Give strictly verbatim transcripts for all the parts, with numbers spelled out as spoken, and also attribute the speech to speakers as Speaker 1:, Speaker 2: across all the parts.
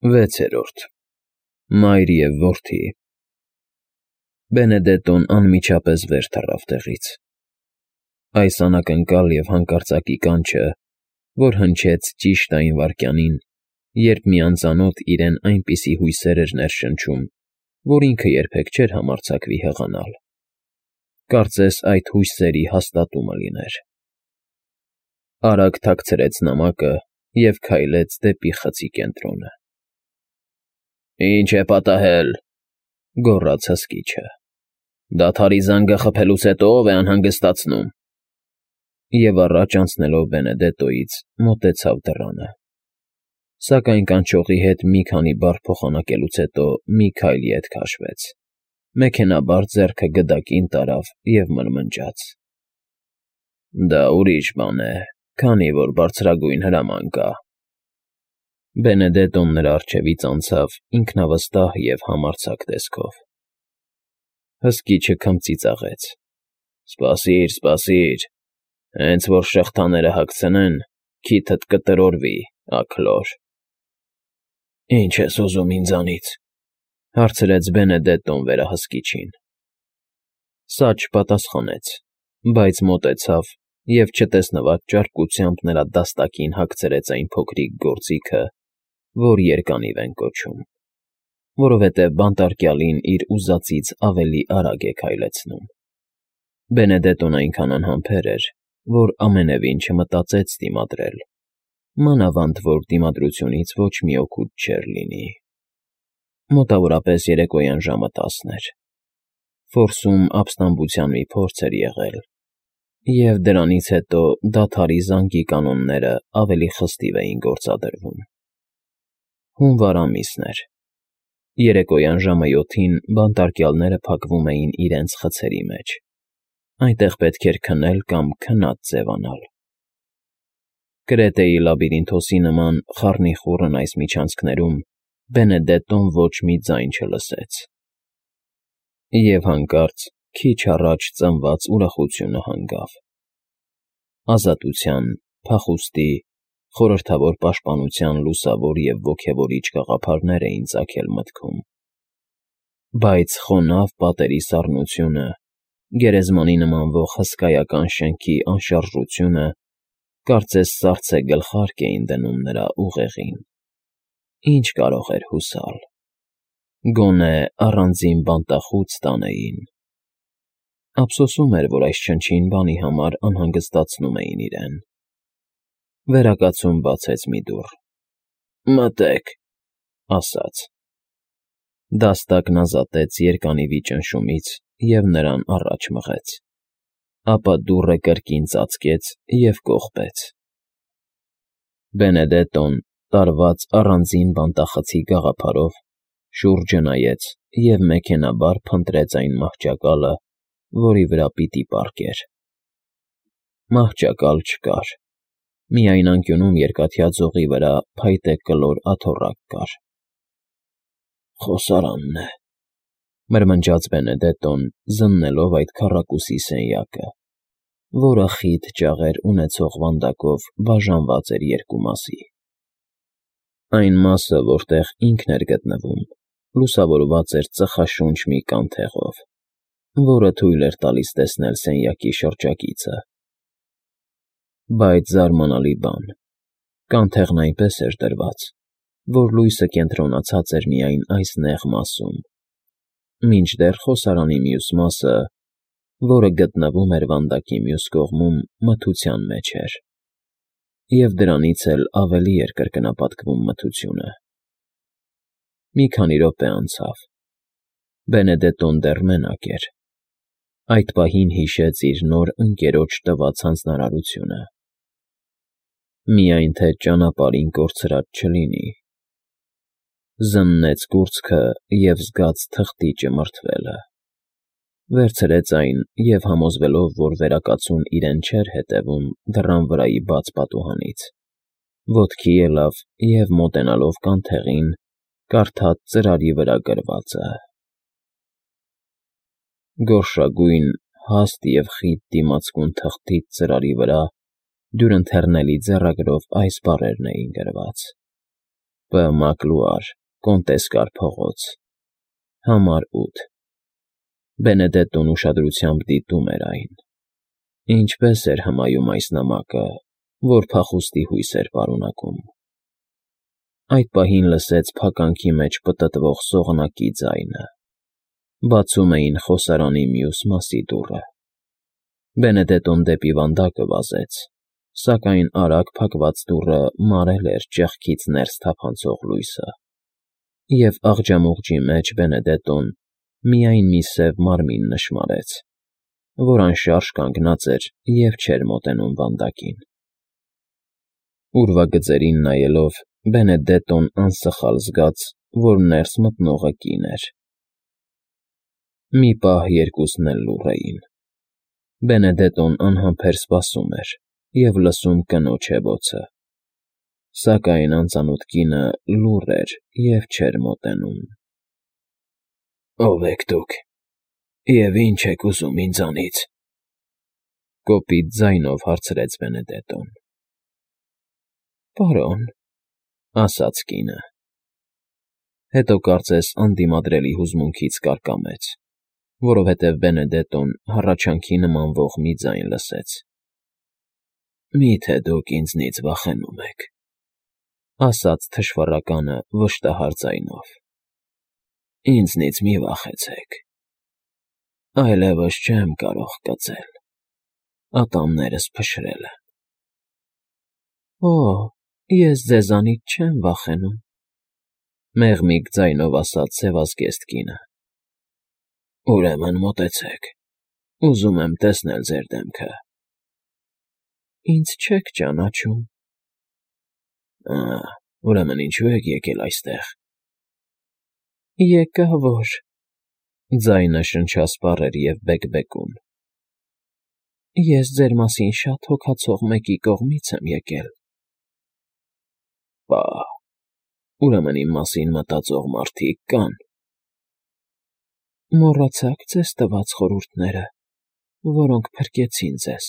Speaker 1: Վեցերորդ Մայր և որդի Բենեդետոն անմիջապես վեր թռավ տեղից. այս անակնկալ և հանկարծակի կանչը, որ հնչեց ճիշտ այն վայրկյանին, երբ մի անծանոթ իրեն այնպիսի հույսեր էր ներշնչում, որ ինքը երբեք չէր համարձակվի հղանալ, կարծես այդ հույսերի հաստատումը լիներ. արագ թաքցրեց նամակը և քայլեց դեպի խցի կենտրոնը։ «Ի՞նչ է պատահել,֊ գոռաց հսկիչը,֊ դադարի զանգը խփելուց հետո ո՞վ է անհանգստացնում»։ Եվ առաջ անցնելով Բենեդետոյից՝ մոտեցավ դռանը, սակայն կանչողի հետ մի քանի բառ փոխանակելուց հետո մի քայլ ետ քաշվեց, մեքենայաբար ձեռքը գդակին տարավ և մրմնջաց. «Դա ուրիշ բան է, քանի որ բարձրագույն հրաման կա»։ Բենեդետոն նրա առջևից անցավ ինքնավստահ և համարձակ տեսքով։ Հսկիչը քմծիծաղեց. «Սպասիր, սպասիր, հենց որ շղթաները հագցնեն, քիթդ կտրորվի, աքլոր»։ «Ի՞նչ ես ուզում ինձանից,֊ հարցրեց Բենեդետոն վերահսկիչին։ Սա չպատասխանեց, բայց մոտեցավ և չտեսնված ճարպկությամբ նրա դաստակին հագցրեց այն փոքրիկ գործիքը, որ երկանիվ են կոչում, որովհետև բանտարկյալին իր ուզածից ավելի արագ է քայլեցնում։ Բենեդետոն այնքան անհամբեր էր, որ ամենևին չմտածեց դիմադրել, մանավանդ որ դիմադրությունից ոչ մի օգուտ չէր լինի։ Մոտավորապես երեկոյան ժամը տասն էր։ Ֆորսում ապստամբության մի փորձ էր եղել, և դրանից հետո դադարի զանգի կանոնները ավելի խստիվ էին գործադրվում։ Հունվար ամիսն էր։ Երեկոյան ժամը յոթին բանտարկյալները փակվում էին իրենց խցերի մեջ, այնտեղ պետք էր քնել կամ քնած ձևանալ։ Կրետեի լաբիրինթոսի նման խառնիխուռն այս միջանցքներում Բենեդետոն ոչ մի ձայն չլսեց։ Եվ հանկարծ քիչ առաջ ծնված ուրախությունը հանգավ։ Ազատության, փախուստի, խորհրդավոր պաշտպանության լուսավոր և ոգևորիչ գաղափարներ էին ծագել մտքում։ Բայց խոնավ պատերի սառնությունը, գերեզմանի նմանվող հսկայական շենքի անշարժությունը կարծես սառցե գլխարկ էին դնում նրա ուղեղին։ Ինչ կարող էր հուսալ։ Գոնե առանձին բանտախուց տանեին։ Ափսոսում էր, որ այս չնչին բանի համար անհանգստացնում էին իրեն։ Վերակացում բացեց մի դուռ։ «Մտե՛ք», ասաց։ Դաստակն ազատեց երկանիվի ճնշումից և նրան առաջ մղեց, ապա դուռը կրկին ծածկեց և կողպեց։ Բենեդետոն, տարված առանձին բանտախցի գաղափարով, շուրջը նայեց և մեքենայաբար փնտրեց այն մահճակալը, որի վրա պիտի պառկեր։ Մահճակալ չկար, միայն անկյունում երկաթյա ձողի վրա փայտե կլոր աթոռակ կար։ «Խոսարանն է,֊ մրմնջաց Բենեդետոն, զննելով այդ քառակուսի սենյակը, որը խիտ ճաղեր ունեցող վանդակով բաժանված էր երկու մասի։ Այն մասը, որտեղ ինքն էր գտնվում, լուսավորված էր ծխաշունչ մի կանթեղով, որը թույլ էր տալիս տեսնել սենյակի շրջակիցը։ Բայց զարմանալի բան, կանթեղն այնպես էր դրված, որ լույսը կենտրոնացած էր միայն այս նեղ մասում, մինչդեռ խոսարանի մյուս մասը, որը գտնվում էր վանդակի մյուս կողմում, մթության մեջ էր, և դրանից էլ ավելի էր կրկնապատկվում մթությունը։ Մի քանի րոպե անցավ։ Բենեդետոն դեռ մենակ էր։ Այդ պահին հիշեց իր նոր ընկերոջ տված հանձնարարությունը. «Միայն թե ճանապարհին կորցրած չլինի»։ Զննեց կուրծքը և զգաց թղթի ճմրթվելը։ Վերցրեց այն և, համոզվելով, որ վերակացուն իրեն չէր հետևում դռան վրայի բաց պատուհանից, ոտքի ելավ և, մոտենալով կանթեղին, կարդաց ծրարի վրա գրվածը. «Գորշագույն, հաստ և խիտ դիմացկուն թղթից ծրարի վրա դյուրընթեռնելի ձեռագրով այս բառերն էին գրված. Բ. Մակլուար, Կոնտեսկար փողոց, համար ութ։ Բենեդետտոն ուշադրությամբ դիտում էր այն։ Ինչպես էր հմայում այս նամակը, որ փախուստի հույս էր պարունակում։ Այդ պահին լսեց փականքի մեջ պտտվող սողնակի ձայնը։ Բացում էին խոսարանի մյուս մասի դուռը։ Բենեդետտոն դեպի վանդակը վազեց, սակայն արագ փակված դուռը մարել էր ճեղքից ներս թափանցող լույսը, և աղջամուղջի մեջ Բենեդետտոն միայն մի սև մարմին նշմարեց, որ անշարժ կանգնած էր և չէր մոտենում վանդակին։ Ուրվագծերին նայելով՝ Բենեդետտոն անսխալ զգաց, որ ներս մտնողը կին էր։ Մի պահ երկուսն էլ լուռ էին։ Բենեդետտոն անհամբեր սպասում էր և լսում կնոջ հեվոցը, սակայն անծանոթ կինը լուռ էր և չէր մոտենում։ «Ո՞վ եք դուք, և ի՞նչ եք ուզում ինձանից», ֊ կոպիտ ձայնով հարցրեց Բենեդետտոն։ «Պարոն», ֊ ասաց կինը։ Հետո կարծես անդիմադրելի հուզմունքից կարկամեց, որովհետև Բենեդետտոն հառաչանքի նմանվող մի ձայն լսեց։ «Մի՞թե դուք ինձնից վախենում եք», ֊ ասաց թշվառականը վշտահար ձայնով։ «Ինձնից մի վախեցեք, այլևս չեմ կարող կծել, ատամներս փշրել են»։ «Օ, ես ձեզանից չեմ վախենում», ֊ մեղմիկ ձայնով ասաց սևազգեստ կինը։ «Ուրեմն մոտեցեք, ուզում եմ տեսնել ձեր դեմքը»։ «Ինձ չեք ճանաչում»։ «Ա, ուրեմն ինչո՞ւ եք եկել այստեղ»։ «Եկա որ…» Ձայնը շնչասպառ էր և բեկբեկում։ «Ես ձեր մասին շատ հոգացող մեկի կողմից եմ եկել»։ «Պա՜, ուրեմն իմ մասին մտածող մարդիկ կա՞ն»։ «Մոռացա՞ք ձեզ տված խորհուրդները, որոնք փրկեցին ձեզ»։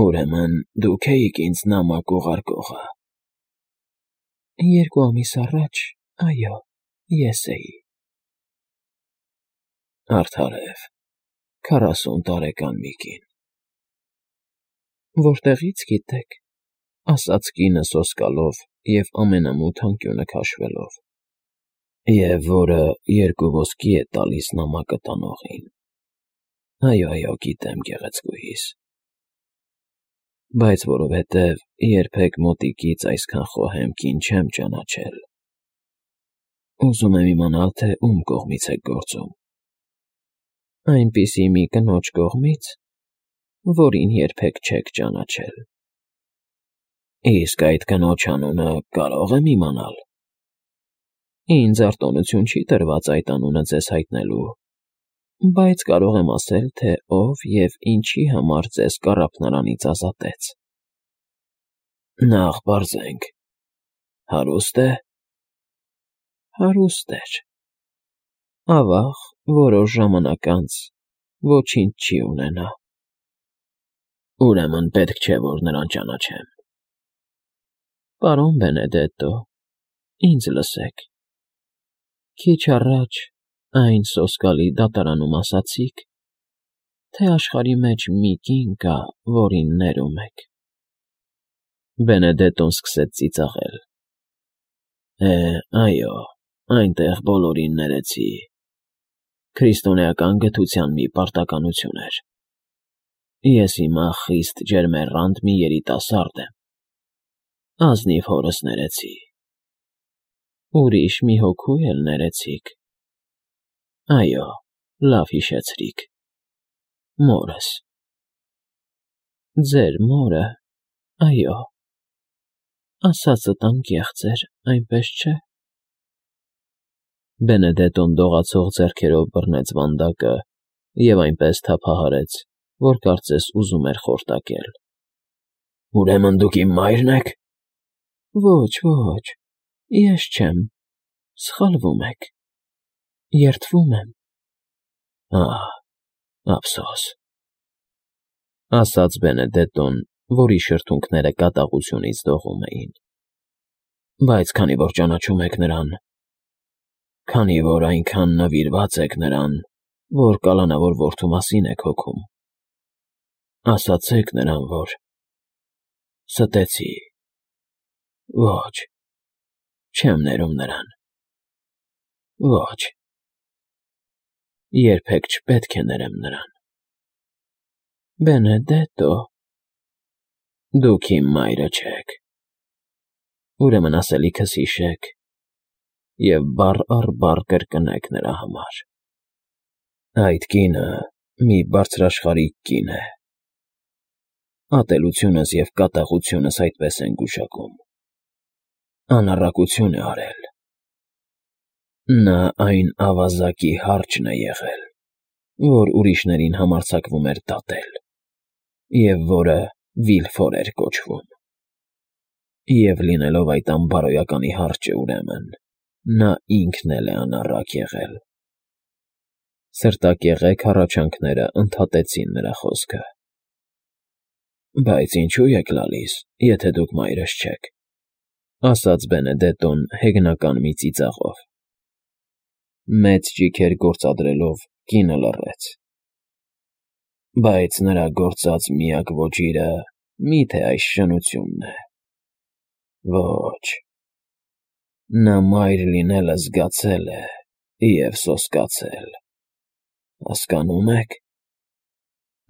Speaker 1: «Ուրեմն դուք էիք ինձ նամակ ուղարկողը»։ «Երկու ամիս առաջ, այո, ես էի»։ «Արդարև, քառասուն տարեկան մի կին»։ «Որտեղի՞ց գիտեք», ֊ ասաց կինը սոսկալով և ամենամութ անկյունը քաշվելով։ «Եվ որը երկու ոսկի է տալիս նամակը տանողին։ Այո, այո, գիտեմ, գեղեցկուհիս, բայց որովհետև երբեք մոտիկից այսքան խոհեմ կին չեմ ճանաչել, ուզում եմ իմանալ, թե ում կողմից եք գործում»։ «Այնպիսի մի կնոջ կողմից, որին երբեք չեք ճանաչել»։ «Իսկ այդ կնոջ անունը կարո՞ղ եմ իմանալ»։ «Ինձ արտոնություն չի տրված այդ անունը ձեզ հայտնելու, բայց կարող եմ ասել, թե ով և ինչի համար ձեզ կառափնարանից ազատեց»։ «Նախ պարզենք, հարուստ է՞։ Հարուստ էր։ Ավաղ, որոշ ժամանակ անց ոչինչ չի ունենա»։ «Ուրեմն պետք չէ, որ նրան ճանաչեմ»։ «Պարոն Բենեդետտո, ինձ լսեք. քիչ առաջ այն սոսկալի դատարանում ասացիք, թե աշխարհի մեջ մի կին կա, որին ներում եք»։ Բենեդետտոն սկսեց ծիծաղել։ «Է, այո, այնտեղ բոլորին ներեցի։ Քրիստոնեական գթության մի պարտականություն էր։ Ես հիմա խիստ ջերմեռանդ մի երիտասարդ եմ։ Ազնիվ հորս ներեցի»։ «Ուրիշ մի հոգու էլ ներեցիք»։ «Այո, լավ հիշեցրիք, մորս»։ «Ձեր մորը, այո, ասածդ անկեղծ էր, այնպես չէ»։ Բենեդետտոն դողացող ձեռքերով բռնեց վանդակը և այնպես թափահարեց, որ կարծես ուզում էր խորտակել։ «Ուրեմն դուք իմ մա՞յրն եք»։ «Ոչ, ոչ, ես չեմ, սխալվում եք, երդվում եմ»։ «Ահ, ափսոս», ֊ ասաց Բենեդետտոն, որի շրթունքները կատաղությունից դողում էին։ Բայց քանի որ ճանաչում եք նրան, քանի որ այնքան նվիրված եք նրան, որ կալանավոր որդու մասին եք հոգում, ասացեք նրան, որ… Ստեցի… Ոչ, չեմ ներում նրան… Ոչ, երբեք չպետք է ներեմ նրան… Բենեդետո… Դուք իմ մայրը չեք… Ուրեմն ասելիքս հիշեք և բառ առ բառ կրկնեք նրա համար… Այդ կինը մի բարձրաշխարհիկ կին է… Ատելությունս և կատաղությունս այդպես են գուշակում… Անառակություն է արել… Նա այն ավազակի հարճն է եղել, որ ուրիշներին համարձակվում էր դատել և որը Վիլֆոր էր կոչվում… Եվ լինելով այդ անբարոյականի հարճը, ուրեմն, նա ինքն էլ է անառակ եղել… Սրտակեղեք հառաչանքները ընդհատեցին նրա խոսքը… Բայց ինչո՞ւ եք լալիս, եթե դուք մայրս չեք, ասաց Բենեդետոն հեգնական մի ծիծաղով… Մեծ ճիգեր գործադրելով կինը լռեց… Բայց նրա գործած միակ ոճիրը մի՞թե այս շնությունն է… Ոչ… Նա մայր լինելը զգացել է և սոսկացել… Հասկանո՞ւմ եք…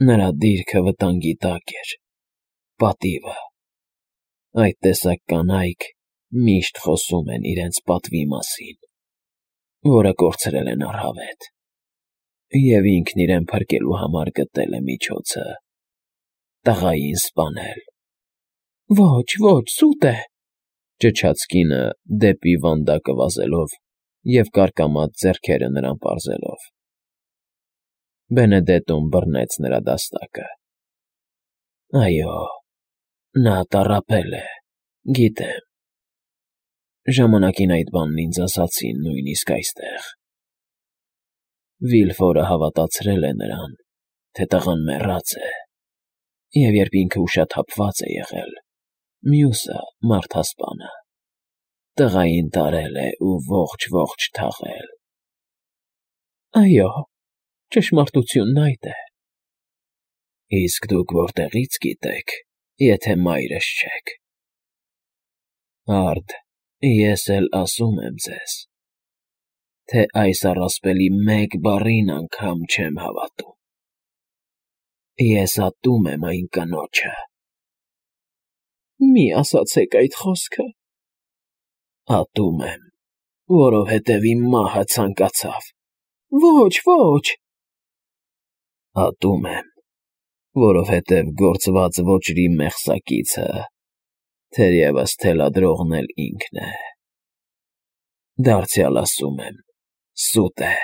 Speaker 1: Նրա դիրքը վտանգի տակ էր… Պատիվը… Այդ տեսակ կանայք միշտ խոսում են իրենց պատվի մասին, որը կորցրել են առհավետ… Եվ ինքն իրեն փրկելու համար գտել է միջոցը… տղային սպանել… Ոչ, ոչ, սուտ է… Ճչաց կինը դեպի վանդակը վազելով և կարկամած ձեռքերը նրան պարզելով… Բենեդետոն բռնեց նրա դաստակը… Այո, նա տառապել է, գիտեմ… Ժամանակին այդ բանն ինձ ասացին նույնիսկ այստեղ… Վիլֆորը հավատացրել է նրան, թե տղան մեռած է, և երբ ինքը ուշաթափված է եղել, մյուսը՝ մարդասպանը, տղային տարել է ու ողջ֊ողջ թաղել… Այո, ճշմարտությունն այդ է… Իսկ դուք որտեղի՞ց գիտեք, եթե մայրս չեք… Արդ, ես էլ ասում եմ ձեզ, թե այս առասպելի մեկ բառին անգամ չեմ հավատում… Ես ատում եմ այն կնոջը… Մի ասացեք այդ խոսքը… Ատում եմ, որովհետև իմ մահը ցանկացավ… Ոչ, ոչ… Ատում եմ, որովհետև գործված ոճրի մեղսակիցը, թերևս, թելադրողն էլ ինքն է… Դարձյալ ասում եմ, սուտ է…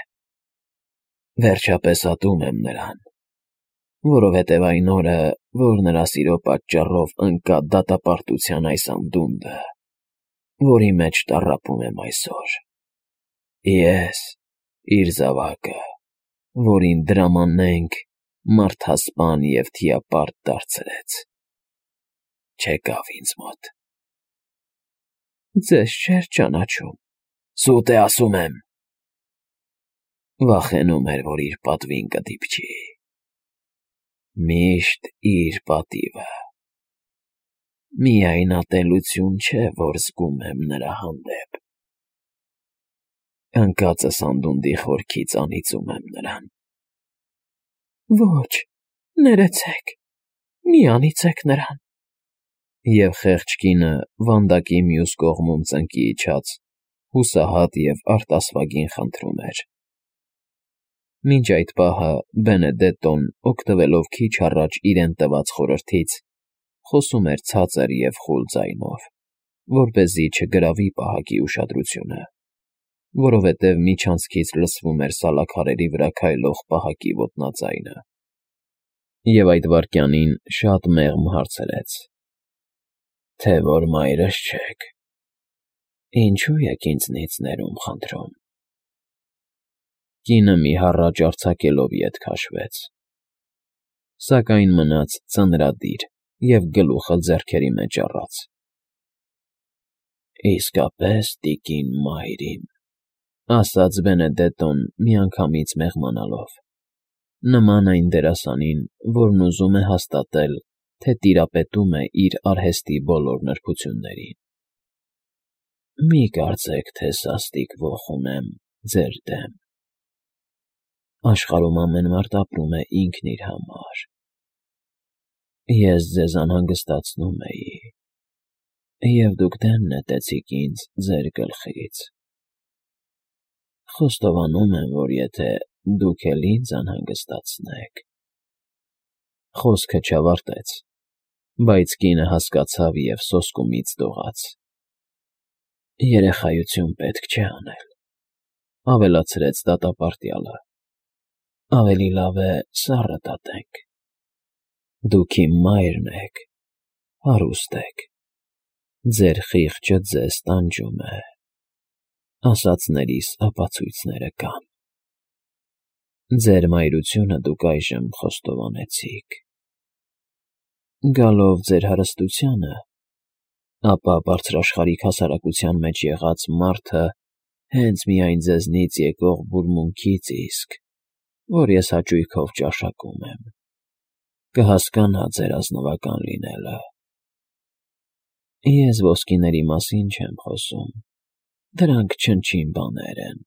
Speaker 1: Վերջապես ատում եմ նրան, որովհետև այն օրը, որ նրա սիրո պատճառով ընկա դատապարտության այս անդունդը, որի մեջ տառապում եմ այսօր… Ես, իր զավակը, որին դրամանենք մարդասպան և թիապարտ դարձրեց… չեկավ ինձ մոտ… Ձեզ չէր ճանաչում… Սուտ է, ասում եմ… Վախենում էր, որ իր պատվին կդիպչի… Միշտ իր պատիվը… Միայն ատելություն չէ, որ զգում եմ նրա հանդեպ… Ընկածս անդունդի խորքից անիծում եմ նրան… Ոչ, ներեցեք… Մի անիծեք նրան… Եվ խեղճ կինը վանդակի մյուս կողմում ծնկի իջած հուսահատ և արտասվագին խնդրում էր… Մինչ այդ պահը Բենեդետոն, օգտվելով քիչ առաջ իրեն տված խորհրդից, խոսում էր ցածր և խուլ ձայնով, որպեսզի չգրավի պահակի ուշադրությունը, որովհետև միջանցքից լսվում էր սալաքարերի վրա քայլող պահակի ոտնաձայնը… Եվ այդ վայրկյանին շատ մեղմ հարցրեց. Թե որ մայրս չեք, ինչո՞ւ եք ինձնից ներում խնդրում… Կինը մի հառաչ արձակելով ետ քաշվեց, սակայն մնաց ծնրադիր և գլուխը ձեռքերի մեջ առած… Իսկապես տիկին մայր իմ,֊ ասաց Բենեդետոն միանգամից մեղմանալով, նման այն դերասանին, որն ուզում է հաստատել, թե տիրապետում է իր արհեստի բոլոր նրբություններին։ Մի կարծեք, թե սաստիկ ոխ ունեմ ձեր դեմ. աշխարհում ամեն մարդ ապրում է ինքն իր համար։ Ես ձեզ անհանգստացնում էի, և դուք դեն նետեցիք ինձ ձեր գլխից։ Խոստովանում եմ, որ եթե դուք էլ ինձ անհանգստացնեք… Խոսքը չավարտեց, բայց կինը հասկացավ և սոսկումից դողաց. Երեխայություն պետք չէ անել,֊ ավելացրեց դատապարտյալը, ավելի լավ է սառը դատենք։ Դուք իմ մայրն եք, հարուստ եք, ձեր խիղճը ձեզ տանջում է, ասածներիս ապացույցները կան։ Ձեր մայրությունը դուք այժմ խոստովանեցիք։ Գալով ձեր հարստությանը, ապա բարձրաշխարհիկ հասարակության մեջ եղած մարդը հենց միայն ձեզնից եկող բուրմունքից իսկ, որ ես հաճույքով ճաշակում եմ, կհասկանա ձեր ազնվական լինելը։ Ես ոսկիների մասին չեմ խոսում, դրանք չնչին բաներ են։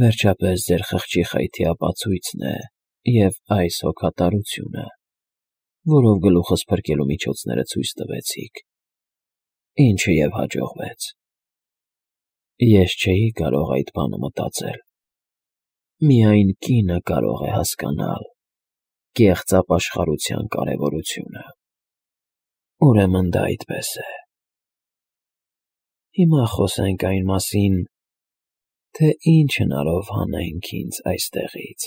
Speaker 1: Վերջապես ձեր խղճի խայթի ապացույցն է և այս հոգատարությունը, որով գլուխս փրկելու միջոցները ցույց տվեցիք, ինչը և հաջողվեց։ Ես չէի կարող այդ բանը մտածել, միայն կինը կարող է հասկանալ կեղծ ապաշխարության կարևորությունը։ Ուրեմն դա այդպես է։ Հիմա խոսենք այն մասին, թե ինչ հնարով հանենք ինձ այստեղից։